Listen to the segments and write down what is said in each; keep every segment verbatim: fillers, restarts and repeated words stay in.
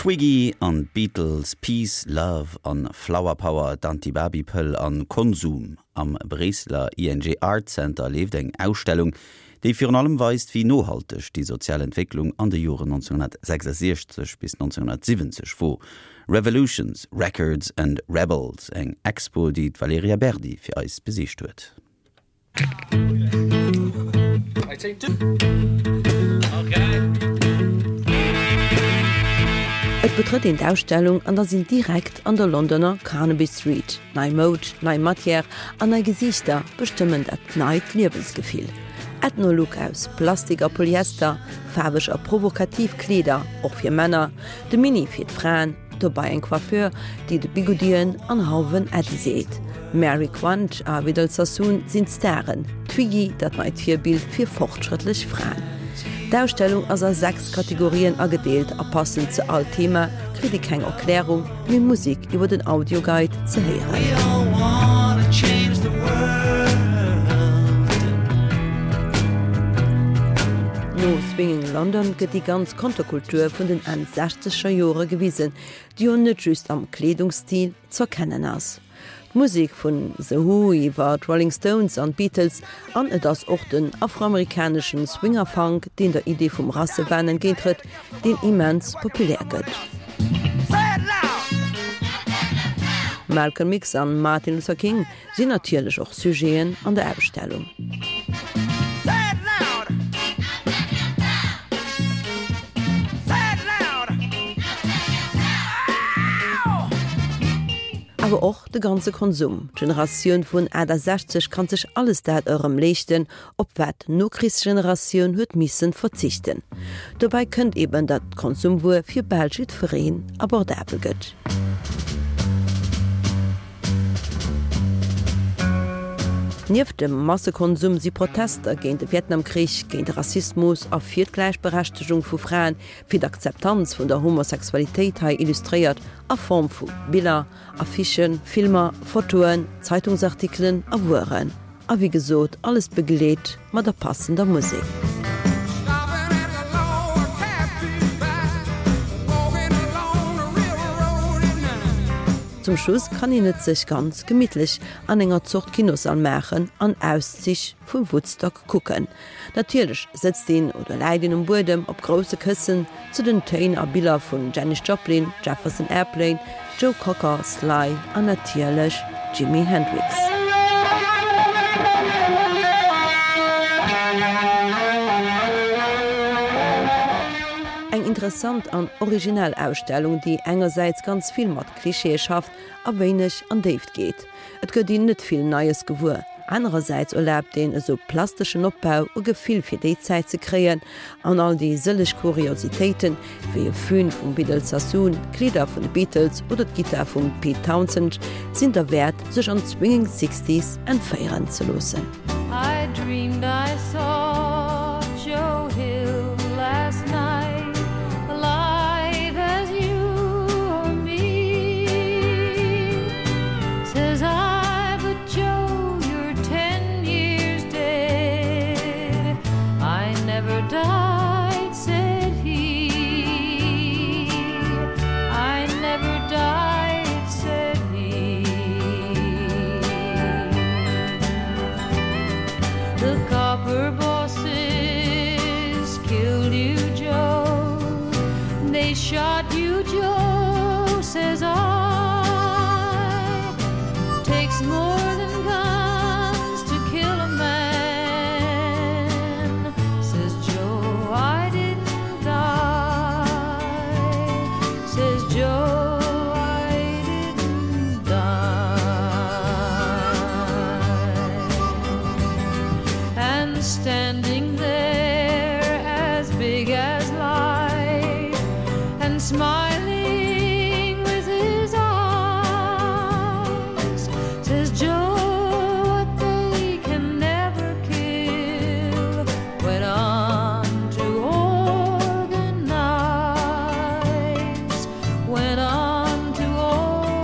Twiggy an d'Beatles, Peace, Love an Flower Power, d'Anti-Barbie-Pëll an Konsum. Am Bréisseler ING Art Center leeft eng Ausstellung, déi virun allem weist, wéi nohalteg déi sozial Entwécklung an de Joren nonzénghunnertsechsasiechzeg bis nonzénghunnertsiwwenzeg wor. Revolutions, Records and Rebels, eng Expo, déi d'Valerija Berdi fir eis besicht huet. Et betrëtt een d'Ausstellung an da sinn direkt an der Londoner Carnaby Street. Nei Moud, nei Matière an nei Gesiichter bestëmmen dat neit Liewensgefill. Ethno-Look aus Plastik a Polyester, faarweg a provokativ Kleeder, och fir Männer, de Mini fir d'Fraen, dobei eng Coiffure, déi de Bigoudien an Hauwen Äddi seet. Mary Quant a Vidal Sassoon sinn d'Staren, Twiggy dat neit Virbild fir fortschrëttlech Fraen. D'Ausstellung ass a sechs Kategorien agedeelt a passend zu all Thema kritt ee keng Erklärung, mee Musek iwwer den Audioguide ze héieren. No Swinging London gëtt déi ganz Konterkultur vun den Enn sechzeger Jore gewisen, déi jo net just am Kleedungsstil z'erkennen ass. D'Musek vun The Who iwwer d'Rolling Stones an d'Beatles an et ass och den afroamerikaneschen Swinger-Funk, deen der Idee vum Rassewahn entgéinttrëtt, deen immens populär gëtt. Malcolm X an Martin Luther King sinn natierlech och Sujeten an der Ausstellung. Awer och de ganze Konsum. D'Generatioun vun aachtasechzeg kann sech alles dat erëm leeschten, op wat d'Nokrichsgeneratioun huet missen verzichten. Dobäi kënnt eben, datt d'Konsumwuer fir bal jiddwereen abordabel gëtt. Nieft dem Massekonsum si Protester géint de Vietnamkrich, géint de Rassismus a fir d'Gläichberechtegung vu Fraen, fir d'Akzeptanz vun der Homosexualitéit hei illustréiert a Form vu Biller, Affichen, Filmer, Fotoen, Zeitungsartikelen a Wueren. A wéi gesot, alles begleet mat der passender Musek. Zum Schluss kann een et sech ganz gemittlech an enger Zort Kinossall maachen an Auszich vu Woodstock kucken. Natierlech sëtzt een oder läit een um Buedem op grousse Këssen zu den Téin a Biller vun Janis Joplin, Jefferson Airplane, Joe Cocker, Sly an natierlech Jimi Hendrix. Eng interessant an originell Ausstellung, déi engersäits ganz vill mat Klischeeë schafft a wéineg an Déift geet. Et gëtt een net vill Neies gewuer. Anerersäits erlaabt een esou plasteschen Opbau e Gefill fir déi Zäit ze kréien an all déi sëlleg Kuriositéiten, wéi e Fön vum Vidal Sassoon, d'Kleeder vun de Beatles oder d'Gittar vum Pete Townshend, sinn derwäert, sech an d'Swinging Sixties entféieren ze loossen. I dreamed I saw Joe Hill last night, alive as you or me. Says I, but Joe, you're ten years dead. I never died, said he. I never died, said he. The copper bosses killed you, Joe. They shot you, Joe, says I. Takes more than guns to kill a man, says Joe. I didn't die, says Joe. I didn't die. And standing there as big as life and smiling with his eyes, says Joe, what they can never kill went on to organize, went on to organize.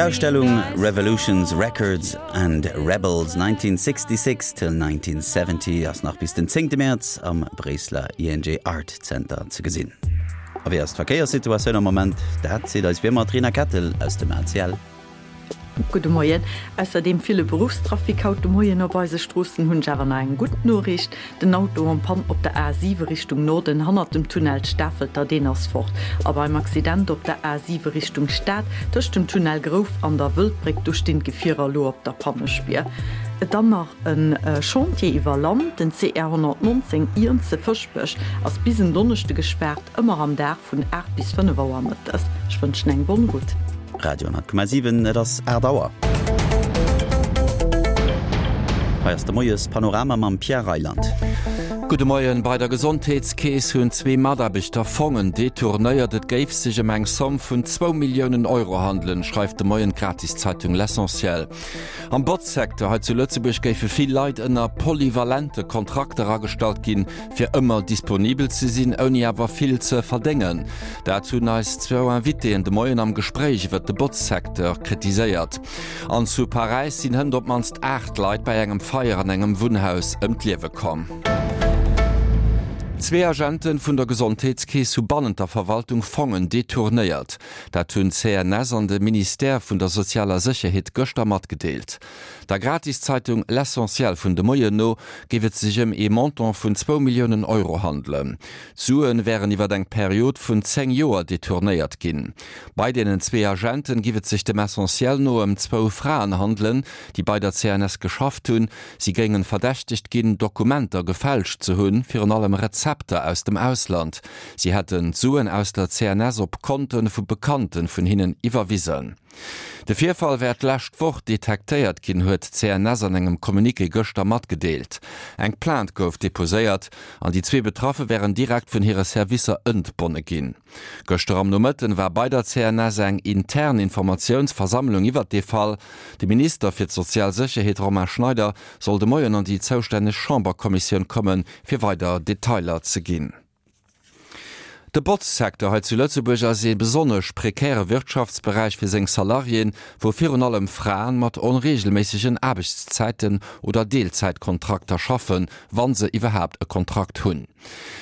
D'Ausstellung Revolutions, Records and Rebels nineteen sixty-six till nineteen seventy ass nach bis den zéngte Mäerz am Bréisseler I N G Art Center ze gesinn. A wéi ass d'Verkéierssituatioun am Moment? Dat seet eis wéi ëmmer d'Rina Kettel aus dem A C L. Gudde Moien. Ausser deem ville Beruffstrafic haut de Moien op eise Stroossen hunn ech awer nach eng gutt Noriicht, Den Auto en panne op der A siwe Richtung Norden hannert dem Tunnel Stafelter, deen ass fort. A beim Accident op der A siwe Richtung Stad tëscht dem Tunnel Grouf an der Wëldbréck, do stinn d'Gefierer elo op der Pannespier. Dann nach e Chantier iwwer Land, Den C R honnertnonzéng Iernze-Fëschbech ass bis en Donneschde gespaart, ëmmer am Dag vun aacht bis fënnef Auer mëttes. Ech wënschen eng bonne route. Radio honnert Komma siwen, et ass aacht Auer. Hei ass de Moies-Panorama mam Pierre Reyland. Gudde Moien. Bei der Gesondheetskeess hunn zwee Mataarbechter Fongen detournéiert. Et géif sech ëm eng Somm vun zwou Milliounen Euro handelen, schreift de Moien d'Gratiszeitung L'Essentiel. Am Botzsecteur hei zu Lëtzebuerg géife vill Leit ënner polyvalente Kontrakter agestallt ginn, fir ëmmer disponibel ze sinn, ouni awer vill ze verdéngen. Dat hunn eis zwou Invitéen de Moien am Gespréich iwwer de Botzsecteur kritiséiert. An zu Paräis sinn hënt op d'mannst aacht Leit bei engem Feier an engem Wunnhaus ëm d'Liewe komm. Zwee Agente vun der Gesondheetskeess hu bannent der Verwaltung Fongen detournéiert. Dat hunn d'C N S an de Ministère vun der sozialer Sécherheet gëschter matgedeelt. Der Gratiszeitung L'Essentiel vun de Moien no géif et sech ëm ee Montant vun zwou Milliounen Euro handelen. D'Sue wären iwwer eng Period vun zéng Joer detournéiert ginn. Bei deenen zwee Agenten géif et sech dem Essentiel no ëm zwou Fraen handelen, déi bei der C N S geschafft hunn. Si géinge verdächtegt ginn, Dokumenter gefälscht ze hunn, virun allem Rezepter aus dem Ausland. Si hätten d'Suen aus der C N S op Konte vu Bekannte vun hinnen iwwerwisen. De Virfall wär d'lescht Woch detektéiert ginn, huet d'C N S an engem Communiqué gëschter matgedeelt. Eng Plainte gouf deposéiert an déi zwee Betraffe wären direkt vun hire Servicer entbonne ginn. Gëschter am Nomëtten war bei der C N S eng intern Informatiounsversammlung iwwer de Fall. De Minister fir d'sozial Sécherheet Romain Schneider soll de Moien an déi zoustänneg Chamberkommissioun kommen, fir weider Detailer ze ginn. De Botzsecteur hei zu Lëtzebuerg ass ee besonnesch prekäre Wirtschaftsberäich fir seng Salariéen, wou virun allem Fraen mat onreegelméissegen Aarbechtszäiten oder Deelzäitkontrakter schaffen, wann se iwwerhaapt e Kontrakt hunn.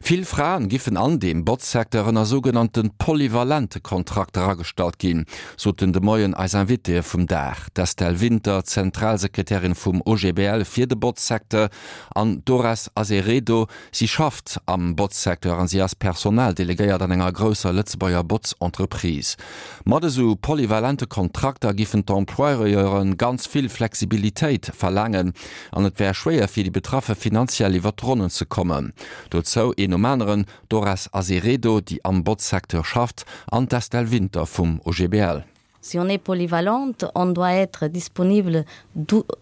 Vill Fraen giffen an deem Botzsecteur ënner sougenannte polyvalente Kontrakter agestallt ginn, soten de Moien eis Invitéë vum Dag, d'Estelle Winter, Zentralsekretärin vum O G B L fir de Botzsecteur, an d'Dores Azeredo. Si schafft am Botzsecteur an si ass Personaldelegéiert an enger grousser Lëtzebuerger Botzentreprise. Mat esou polyvalente Kontrakter giffen d'Employeure ganz vill Flexibilitéit verlaangen an et wär schwéier fir déi Betraffe finanziell iwwer d'Ronnen ze kommen. Dozou een nom aneren Dores Azeredo, déi am Botzsecteur schafft, an d'Estelle Winter vum O G B L. Si on est polyvalente, on doit être disponible,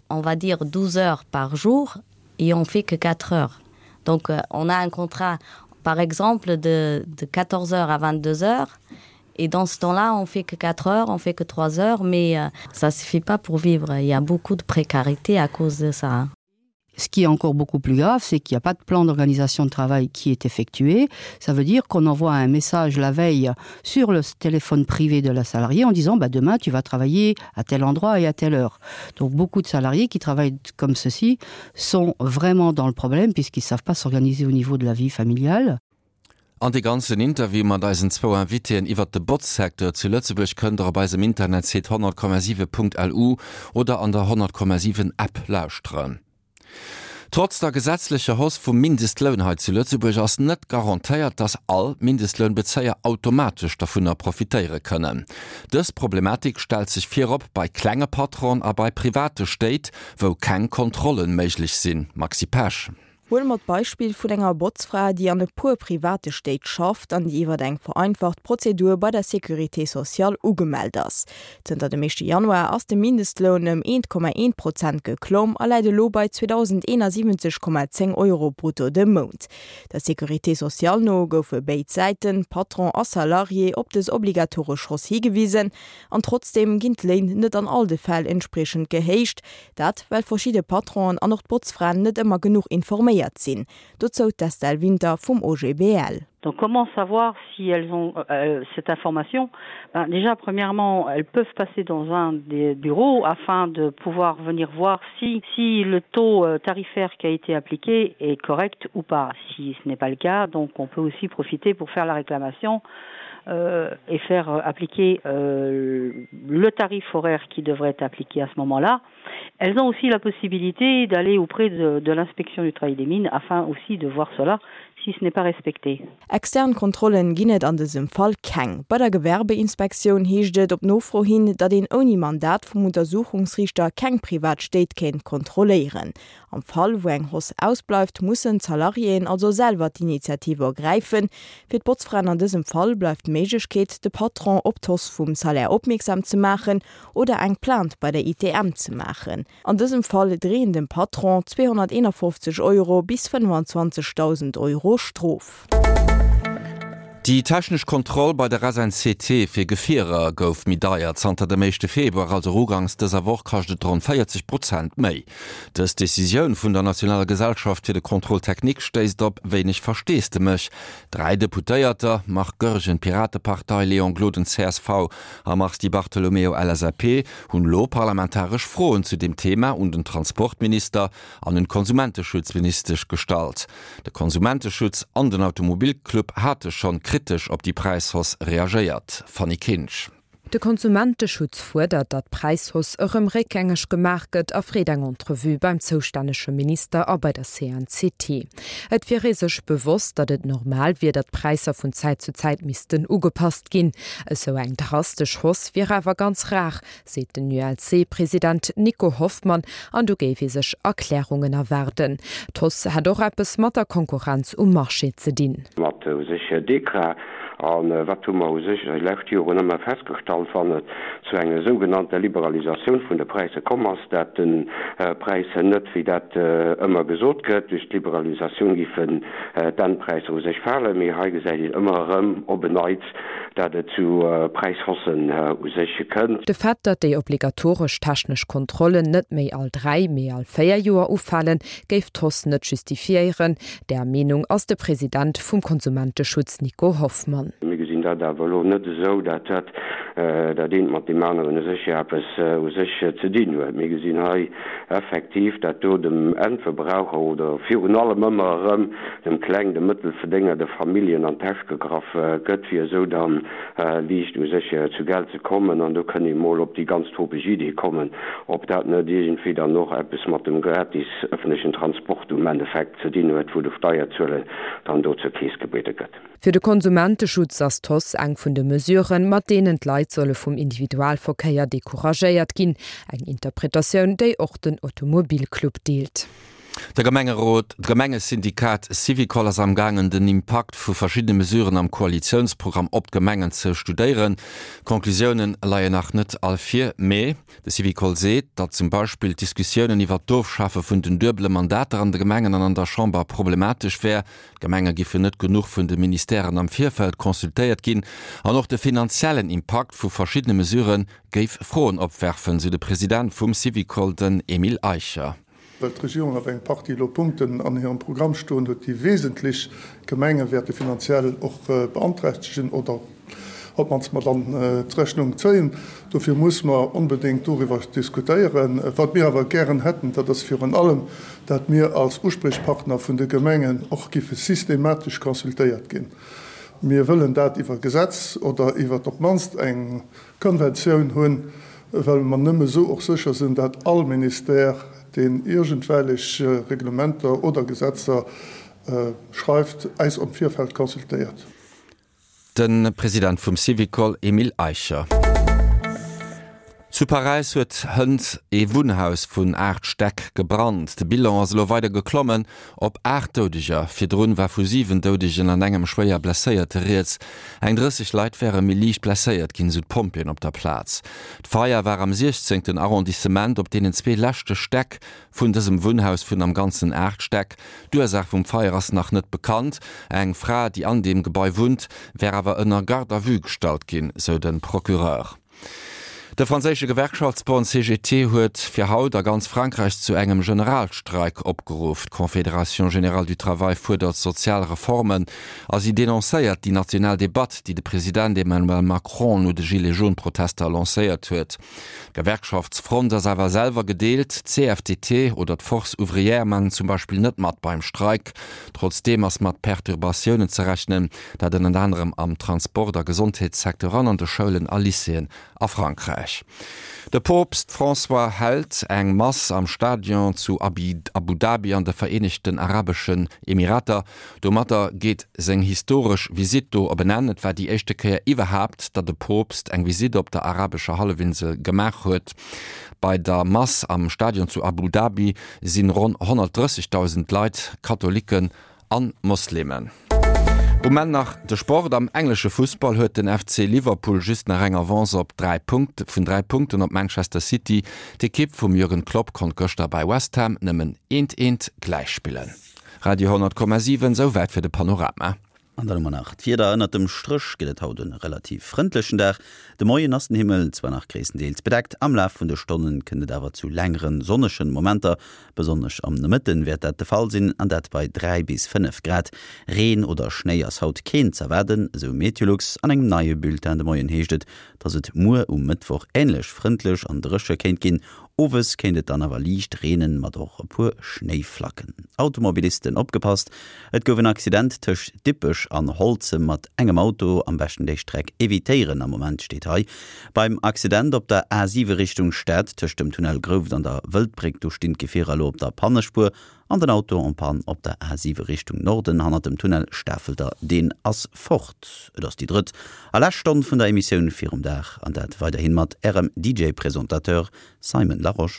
on va dire douze heures par jour et on fait que quatre heures. Donc euh, on a un contrat par exemple de, de quatorze heures à vingt-deux heures et dans ce temps-là on fait que quatre heures, on fait que trois heures, mais euh, ça suffit pas pour vivre. Il y a beaucoup de précarité à cause de ça. Ce qui est encore beaucoup plus grave, c'est qu'il n'y a pas de plan d'organisation de travail qui est effectué. Ça veut dire qu'on envoie un message la veille sur le téléphone privé de la salariée en disant bah, demain tu vas travailler à tel endroit et à telle heure. Donc beaucoup de salariés qui travaillent comme ceci sont vraiment dans le problème puisqu'ils ne savent pas s'organiser au niveau de la vie familiale. An de ganzen Interview mat eisen zwou Invitéen iwwer de Botzsecteur zu Lëtzebuerg kënnt der op eisem Internetsite honnert Komma siwe Punkt L U oder an der honnert Komma siwen App lauschteren. Trotz der gesetzlecher Hausse vum Mindestloun hei zu Lëtzebuerg ass net garantéiert, dass all Mindestlounbezéier automatesch dovunner profitéiere kënnen. Dës Problematik stellt sech virop bei klenge Patronen a bei private Stéit, wou keng Kontrollen méiglech sinn. Maxi Pesch. Huele mer d'Beispill vun enger Botzfra, déi an e puer private Stéit schafft an déi iwwer eng vereinfacht Prozedur bei der Sécurité sociale ugemellt ass. Zënter dem éischte Januar ass de Mindestloun ëm eent Komma eent Prozent geklomm a läit elo bei zweedausendeenasiwwenzeg Komma zéng Euro brutto de Mount. Der Sécurité sociale no goufe béid Säiten, Patron a Salarié, op dës obligatoresch Hausse higewisen an trotzdeem ginn d'Léin net an all de Fäll entspriechend gehéicht. Dat well verschidde Patronen an och d'Botzfraen net ëmmer genuch informéiert informéiert sinn. Dozou d'Estelle Winter vum OGBL. Donc comment savoir si elles ont euh, cette information ben, Déjà, premièrement, elles peuvent passer dans un des bureaux afin de pouvoir venir voir si, si le taux euh, tarifaire qui a été appliqué est correct ou pas. Si ce n'est pas le cas, donc on peut aussi profiter pour faire la réclamation euh, et faire euh, appliquer euh, le tarif horaire qui devrait être appliqué à ce moment-là. Elles ont aussi la possibilité d'aller auprès de, de l'inspection du travail des mines afin aussi de voir cela si ce n'est pas respecté. Extern Kontrollen ginn et an dësem Fall keng. Bei der Gewerbeinspektioun heescht et op Nofro hin, datt een ouni Mandat vum Untersuchungsriichter keng privat Stéit kéint kontrolléieren. Am Fall wou eng Hausse ausbleift, mussen d'Salariéen also selwer d'Initiative ergräifen. Fir d'Botzfraen an dësem Fall bleift d'Méiglechkeet, de Patron op d'Hausse vum Salaire opmierksam ze maachen oder eng Plainte bei der ITM ze maachen. An dësem Fall dreeën dem Patron zweehonnerteenafofzeg Euro bis fënnefenzwanzegdausend Euro Strof. Déi technesch Kontroll bei der S N C T fir Gefierer gouf méi deier. Zanter dem éischte Februar, also ugangs dëser Woch, kascht et ronn véierzeg Prozent méi. Dës Decisioun vun der nationaler Gesellschaft fir de Contrôle technique stéisst op wéineg Versteesdemech. Dräi Deputéierter, Marc Goergen, Piratepartei, Léon Gloden, C S V, a Mars Di Bartolomeo, L S A P, hunn elo parlamentaresch Froen zu deem Thema un den Transportminister an un d'Konsumenteschutzministesch gestallt. De Konsumenteschutz an den Automobilclub hate schonn kritesch op déi Präishausse reagéiert. Fanny Kinsch. De Konsumenteschutz fuerdert, datt d'Präishausse erëm réckgängeg gemaach gëtt a freet eng Entrevue beim zoustännege Minister a bei der C N C T. Et wier ee sech bewosst, datt et normal wier, datt d'Präisser vun Zäit zu Zäit missten ugepasst ginn. Esou eng drastesch Hausse wier awer ganz rar, seet den U L C-President Nico Hoffmann, an do géif ee sech Erklärungen erwaarden. D'Hausse hätt och eppes mat der Konkurrenz um Marché ze dinn. Mat u sech Dekra an wat hu mer u sech déi lescht Joren ëmmer festgestallt, wann et zu enger sougenannter Liberalisatioun vun de Präisser komm ass, dat de Präisser net, wéi dat ëmmer gesot gëtt, duerch d'Liberalisatioun giffen d'Endpräisser u sech falen, mee hei gesäit een ëmmer erëm op en Neits, dat et zu Präishaussen u sech kënnt. De Fait, datt déi obligatoresch technesch Kontrollen net méi all dräi, mee all véier Joer ufalen, géif d'Hausse net justifiéieren. Där Meenung ass de President vum Konsumenteschutz Nico Hoffmann. Mir gesinn dat awer elo net esou, dat dat dat eent mat deem aneren u sech eppes u sech ze dinn huet. Mir gesinn hei effektiv, dat do dem Endverbraucher oder virun allem ëmmer erëm dem Kleng-, dem Mëttelverdénger, de Familljen an d'Täsch gegraff gëtt, fir esou dann liicht u sech zu Geld ze kommen. An do kënn ee mol op déi ganz topeg Idee kommen, ob dat net iergendwéi dann och eppes mat dem gratis ëffentlechen Transport um Endeffekt ze dinn huet, wou de Steierzueler dann do zur Keess gebiede gëtt. Fir de Konsumenteschutz ass d'Hausse eng vun de Mesuren, mat deenen d'Leit solle vum Individualverkéier decouragéiert ginn. Eng Interpretatioun, déi och den Automobilclub deelt. De Gemengerot, d'Gemengesyndikat Syvicol ass am gaangen den Impakt vu verschiddene Mesuren am Koalitiounsprogramm op d'Gemengen ze studéieren. D'Conclusiounen leien nach net all vir, mee de Syvicol seet, datt zum Beispill d'Diskussiounen iwwer d'Ofschafe vun den duebele Mandater an de Gemengen an an der Chamber problematesch wär. D'Gemenge giffen net genuch vun de Ministèren am Virfeld consultéiert ginn an och de finanziellen Impakt vu verschiddene Mesurë géif Froen opwerfen, sou de President vum Syvicol, den Emile Eicher. Well d'Regierung awer eng Partie elo Punkten an hirem Programm stoen huet, déi wesentlech d'Gemenge wäerte finanziell och beanträchtegen oder op d'mannst mat an d'Rechnung zéien. Dofir muss mer onbedéngt doriwwer diskutéieren. Wat mir awer gären hätten, dat ass virun allem, dat mir als Uspriechpartner vun de Gemengen och giffe systematesch consultéiert ginn. Mir wëllen dat iwwer Gesetz oder iwwer op d'mannst eng Konventioun hunn, well mer nëmme esou och sécher sinn, dat all Ministère, deen iergendwellech Reglementer oder Gesetzer schreift, eis am Virfeld consultéiert. De President vum Syvicol Emile Eicher. Zu Paräis huet hënt ee Wunnhaus vun aacht Stäck gebrannt. De Bilan ass elo weider geklommen op aacht Doudeger. Virdrun war vu siwen Doudegen an engem schwéier Blesséierte rieds. Eng drësseg Leit wäre méi liicht blesséiert ginn, sou d'Pompjeeën op der Plaz. D'Feier war am siechzéngten Arrondissement op deenen zwee leschte Stäck vun dësem Wunnhaus vun am Ganzen aacht Stäck. D'Ursaach vum Feier ass nach net bekannt. Eng Fra, déi an deem Gebai wunnt, wär awer ënner Garde à vue gestallt ginn, sou de Procureur. De franséische Gewerkschaftsbond C G T huet fir haut a ganz Frankräich zu engem Generalstreik opgeruff. D'Confédération générale du travail fuerdert sozial Reformen a si denoncéiert déi national Debatt, déi de President Emmanuel Macron no de Gilets-jaunes-Protester lancéiert huet. D'Gewerkschaftsfront ass awer selwer gedeelt, d'C F D T oder d'Force ouvrière maachen zum Beispill net mat beim Streik. Trotzdeem ass mat Perturbatiounen ze rechnen, dat ënnert anerem am Transport a Gesondheetssecteur an an de Schoulen a Lycéeën a Frankräich. De Poopst François hält eng Mass am Stadion zu Abu Dhabi an de Vereenegten Arabeschen Emirater. Domatter geet seng historesch Visitt do op en Enn. Et war déi éischte Kéier iwwerhaapt, datt de Poopst eng Visitt op der arabescher Hallefinsel gemaach huet. Bei der Mass am Stadion zu Abu Dhabi sinn ronn honnertdrëssegdausend Leit, Katholiken an Moslemen. Um Enn nach de Sport. Am englesche Fussball huet den F C Liverpool just nach eng Avance op dräi Punkt vun dräi Punkten op Manchester City. D'Ekipp vum Jürgen Klopp konnt gëschter bei West Ham nëmmen eent eent gläichspillen. Radio honnert Komma siwen, souwäit fir de Panorama. An dann hu mer nach d'Wieder, Ënnert dem Stréch gëtt et haut e relativ frëndlechen Dag. De Moien ass den Himmel zwar nach gréisstendeels bedeckt, am Laf vun de Stonne kënnt et awer zu längere sonnege Momenter. Besonnesch am Nomëtte wäert dat de Fall sinn, an dat bei dräi bis fënnef Grad. Reen oder Schnéi ass haut keen z'erwaarden, esou Meteolux. An engem neie Bulletin de Moien heescht et, dass et muer um Mëttwoch änlech frëndlech an dréche kéint ginn. Owes kéint et dann awer liicht reenen, mat och e puer Schnéiflacken. Automobilisten opgepasst, Et gouf en Accident tëscht Dippech an Holzem mat engem Auto. Am beschten déi Streck evitéieren am Moment, steet hei. Beim Accident op der A siwe Richtung Stad tëscht dem Tunnel Grouft an der Wëldbréck, do stinn d'Gefierer elo op der Pannespuer. An den Auto en panne op der A siwe Richtung Norden hannert dem Tunnel Stafelter, deen ass fort. Et ass déi drëtt a lescht Stonn vun der Emissioun virum Dag, an dat weiderhin mat ärem D J-Presentateur Simon Larosche.